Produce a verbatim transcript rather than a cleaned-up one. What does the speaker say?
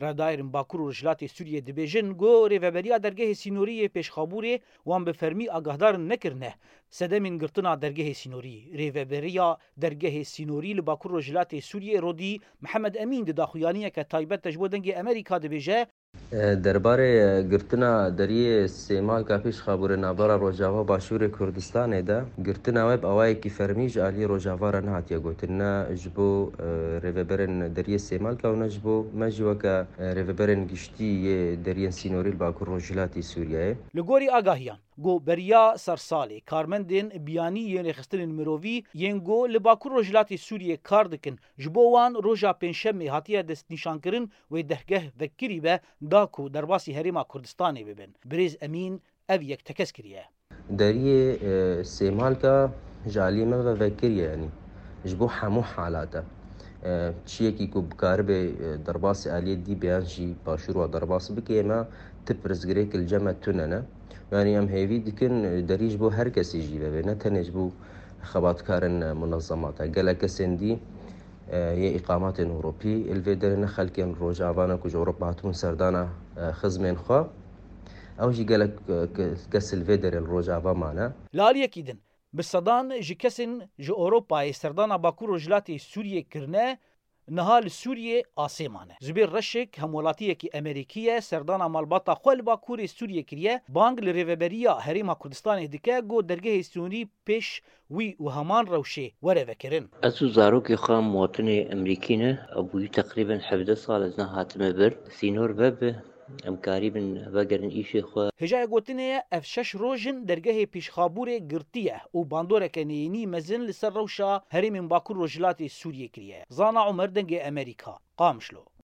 Revdayerên Bakur û Rojhilatê Sûriyê dibêjin ku rêveberiya dergehê sînorî yê Pêşxabûrê wan bi fermî agahdar nekirine sedemên girtina dergehê sînorî. Rêveberiya dergehê sînorî li Bakur Rojhilatê Sûriyê Rodî Mihemed Emîn di daxuyaniyeke taybet de ji bo Dengê Amerîka dibêje, Derbarê girtina deriyê Sêmalka Pêşxabûrê navbera Rojava Başûrê Kurdistanê de, girtina we bi awayekî fermî ji aliyê Rojava re nehatiye gotin, ne ji bo rêveberên deriyê Sêmalka û ne ji bo me jî weke rêveberên giştî yê deriyên sînorî li Bakur Rojhilatî Sûriyeyê. Li gorî agahiyan ku beriya sersalê karmendên biyanî yên rêxistinên mirovî yên ku li Bakur Rojhilatê Sûriyê kar dikin, ji bo wan roja Pêncşemê hatiye destnîşankirin wê dergeh vekirî be, da ku derbasî Herêma Kurdistanê bibin. Birêz Emîn ev yek tekez kiriye. Deriyê Sêmalka ji aliyê me ve vekirî ye, yanî ji bo hemû halat e. Çiyekî ku bikaribe derbasî aliyê dî be yan jî başûr wa derbas bike, me ti pirsgirêk li cem me tune ne. Yanî em hêvî dikin derî ji bo her kesî jî vebe, ne tenê ji bo xebatkarên munezemata. Gelek kesên dî yê îqamatên Ewropî li vê derê, ne xelkên Rojava ne ku ji Ewropa hatibûn serdana xizmên xwe. Ew jî gelek kes li vê derê li Rojava mane. Li aliyekî din, bi sedan ji kesên ji Ewropayê serdana Bakur Rojhilatê Sûriyê kirine, niha li Sûriyê asê mane. Zubêr Reşik, hemwelatiyekî Amerîkî ye, serdana malbata xwe li Bakurê Sûriyê kiriye, bang li Rêveberiya Herêma Kurdistanê dike ku dergehê sînorî pêş wî û heman rewşê were vekirin. Ez û zarokê xwe em muwatinê Amerîkî ne, ew bûyî teqrîben hevdeh sal ez nehatime vir. Sînor vebe, em karîbin vegerin îşê xwe. Hêjayê gotinê ye, ev şeş roj in dergehê Pêşxabûrê girtiye û bandoreke neyînî mezin li ser rewşa herêmên Bakur Rojhilatê Sûriyê kiriye. Zana Omer, Dengê Amerîka, Qamişlo.